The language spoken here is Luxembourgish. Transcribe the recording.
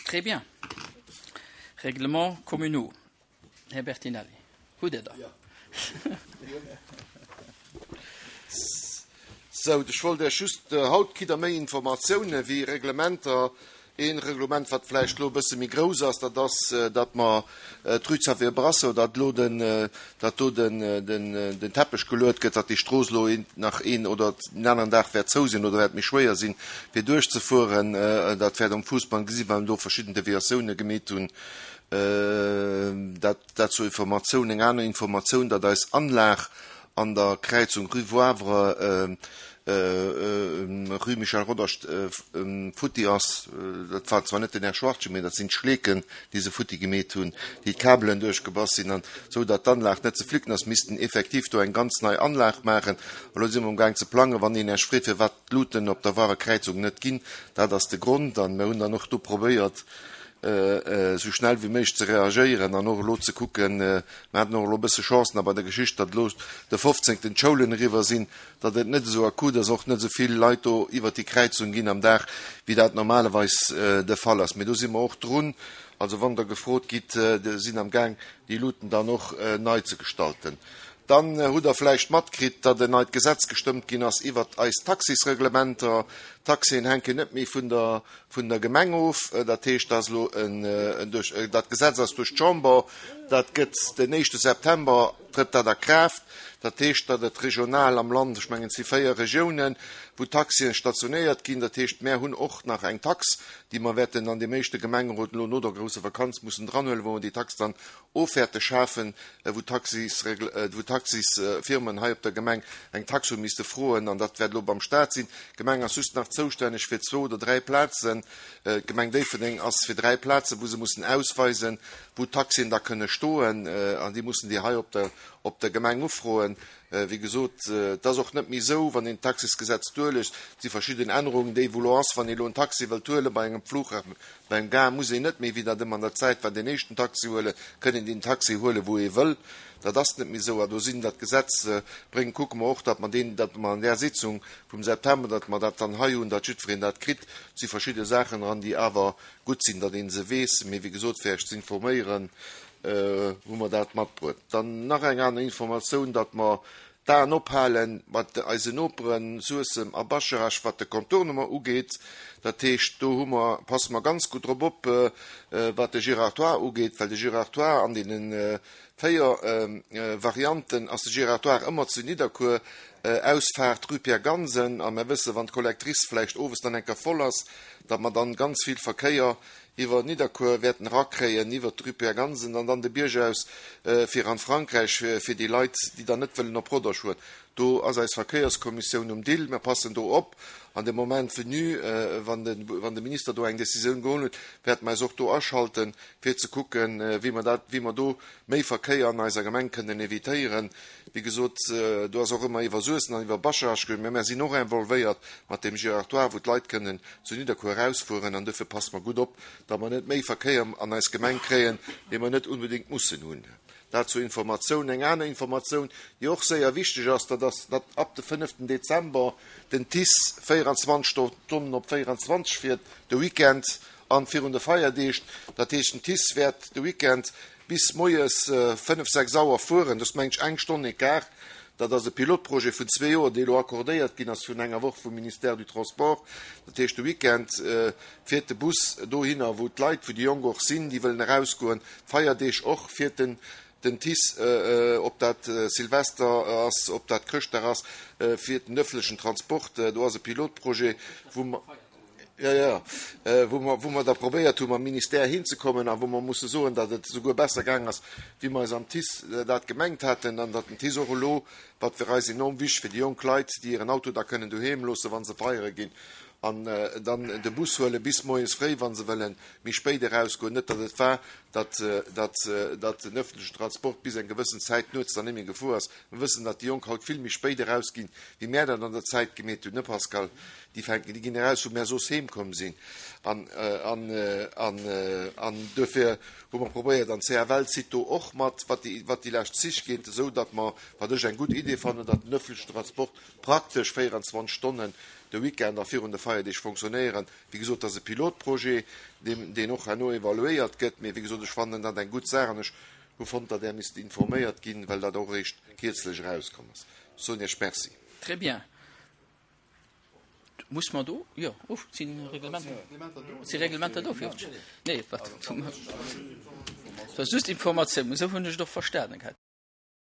Très bien. Règlements communaux. Här Bertinelli, hutt Dir der? Sou, ech wollt Iech just, haut kritt Der méi Informatiounen wéi Reglementer. Ee Reglement, wat vläicht elo e bësse méi grouss ass, dat ass, datt mer d'Rue Xavier Brasseur, datt elo den, datt do den, den Teppech geluet gëtt, datt déi Strooss elo een, nach een oder den aneren Dag wäert zou sinn oder wäert méi schwéier sinn, fir duerchzefueren. Dat wäert um Fuussband gesi well mer do verschidden Deviatioune gemeet hunn. Dat, dat zur Informatioun. Eng aner Informatioun, datt eis Anlag an der Kräizung Rue Wavre, Rue Michel Rodange futti ass. Dat war zwar net den Här Schwartgen, mee dat sinn d'Schleeken, déi se futti gemeet hunn, déi d'Kabelen duerchgebass sinn. An esou datt d'Anlag net ze flicken ass, missten effektiv do eng ganz nei Anlag maachen. Elo si mer amgaang ze plangen, wann een Iech freet, firwat d'Luuten op der Warer Kräizung net ginn, dat ass de Grond. An mir hunn dann och do probéiert, esou schnell wéi méiglech ze reagéieren an och elo ze kucken, mer haten och elo e bësse Chance nach bei der Geschicht, datt elo de 15. d'Schoulen eriwwer sinn, datt et net esou akut ass, och net esou vill Leit do iwwert déi Kräizung ginn am Dag, wéi dat normalerweis de Fall ass. Mee do si mer och drun. Also wann Der gefrot gitt, sinn am Gaang, déi Luuten dann och nei ze gestalten. Dann hutt Der vläicht matkritt, datt en neit Gesetz gestëmmt ginn ass iwwert eis Taxisreglementer. D'Taxien hänken net méi vun der vun der Gemeng of. Dat heescht, dat ass elo en, duerch, dat Gesetz ass duerch d'Chamber, dat gëtt den éischte September trëtt dat a Kraaft. Dat heescht, datt et regional am Land, ech mengen et si 4 Regiounen, wou Taxien stationéiert ginn. Dat heescht, mär hunn och nach eng Tax, déi mer wäerten an deem éischte Gemengerot elo no der grousser Vakanz mussen dranhuelen, wou mer déi Tax dann och wäerte schafen, wou d'Taxisfirmen hei op der Gemeng eng Tax hu misste froen, an dat wäert elo beim Stat sinn. D'Gemeng ass just nach zoustänneg fir zwou oder dräi Plazen. D'Gemeng Déifferdeng ass fir dräi Plazen, wou se mussen ausweisen, wou d'Taxien da kënne stoen, an déi mussen déi hei op der op der Gemeng ufroen. Wéi gesot, et ass och net méi esou, wann een d'Taxisgesetz duerliest, et si verschidden Ännerungen, déi wou elo ass, wann ee elo en Taxi wëllt huele bei engem Flughafen, Beim Gare muss een net méi, wéi dat ëmmer an der Zäit war, deen éischten Taxi huelen, kënn een deen Taxi huelen, wou ee wëll. Dat ass net méi esou. A do sinn dat Gesetz bréngt, kucke mer och, datt mer deen, datt mer an där Sitzung vum September, datt mer dat dann hei hunn, datt jiddwereen dat kritt. Et si verschidde Saachen dran, déi awer gutt sinn, datt ee se weess. Mee wéi gesot, fir Iech ze informéieren, hu mer dat matbruet. Dann nach eng aner Informatioun, datt mer D'Aen ophale mat eisen Noperen Suessem a Bascharage wat de Contournement ugeet. Dat heescht, do hu mer, passe mer ganz gutt drop op, wat de Giratoire ugeet, well de Giratoire an deene 4 Varianten ass de Giratoire ëmmer zu Nidderkuer, Ausfaart Rue Pierre Gansen. A mer wësse wann d'Collectrice vläicht owes dann eng Kéier voll ass, datt mer dann ganz vill Verkéier iwwer Nidderkuer wäerten erakréien, iwwert d'Rue Pierre Gansen an dann de Bierg aus fir an Frankräich, fir déi Leit, déi dann net wëllen op Rodange fueren. Do ass eis Verkéierskommissioun um Dill. Mir passen do op. An de Moment venu, wann de Minister do eng Décisioun geholl huet, wäerte mer eis och do aschalten, fir ze kucken, wéi mer dat, wéi mer do méi Verkéier an eiser Gemeng kënnen évitéieren. Wéi gesot, do ass och ëmmer iwwer Suessem an iwwer Bascharage geduecht, mä mär sinn och involvéiert mat deem Giratoire, wou d'Leit kënnen zu Nidderkuer erausfueren. An duerfir passe mer gutt op, datt mer net méi Verkéier an eis Gemeng kréien, dee mer net unbedéngt mussen hunn. Dat zur Informatioun. Eng aner Informatioun, déi och séier wichteg ass, dat ass, datt ab de fënneften Dezember den TICE 24 Stonnen op 24 fiert, de Weekend an virun de Feierdeeg. Dat heescht, den TICE wäert de Weekend bis moies 5, 6 Auer fueren, dat ass meng ech eng Stonn Ecart. Dat ass e Pilotprojet vun zwee Joer, dee elo accordéiert ginn ass virun enger Woch vum Ministère du Transport. Dat heescht, de Weekend fiert de Bus dohinner, wou d'Leit, wou déi Jonk och sinn, déi wëllen erausgoen. D'Feierdeeg och fiert den den TICE, ob dat Silvester ass, ob dat Chrëschtdag ass, fiert den öffentlechen Transport. Do ass e Pilotprojet, wou mer. Jo, jo, wou mer, wou mer da probéiert hu mam Ministère hinzekommen a wou mer musse soen, datt et esouguer besser gaang ass, wéi mer eis am TICE dat gemengt haten an datt den TICE och elo, wat fir eis enorm wichteg fir déi jonk Leit, déi hiren Auto da kënnen doheem loosse wa se feiere ginn an dann de Bus huele bis moies fréi, wa se wëlle méi spéit erausgoen. Net datt et war, datt, datt, datt den öffentlechen Transport bis eng gewëssen Zäit nuets dann net méi gefuer ass. Mer wëssen, datt déi Jonk haut vill méi spéit erausginn, wéi mär dat an der Zäit gemeet hunn, ne Pascal? Déi fänken, déi ginn eraus, wou mär soss heem komm sinn. An, an, an, an duerfir hu mer probéiert, an d'CFL zitt do och mat, wat déi, wat déi lescht Zich geet, esou datt mer, wat ech eng gutt Idee fannen, datt den öffentlechen Transport praktesch 24 Stonnen. de Weekend a virun de Feierdeeg fonctionnéieren. Wéi gesot, dat ass e Pilotprojet, deen, deen och herno evaluéiert gëtt. Mee wéi gesot, ech fannen dat eng gutt Saach an ech hu fonnt, datt Där misst informéiert ginn, well dat och eréischt kierzlech erauskomm ass. Ech soen Iech Merci. Très bien. Muss mer do, jo, uff, si Reglementer, si Reglementer do fir? Nee, wat? Dat ass just Informatioun, esou hunn ech et och verstanen gehat.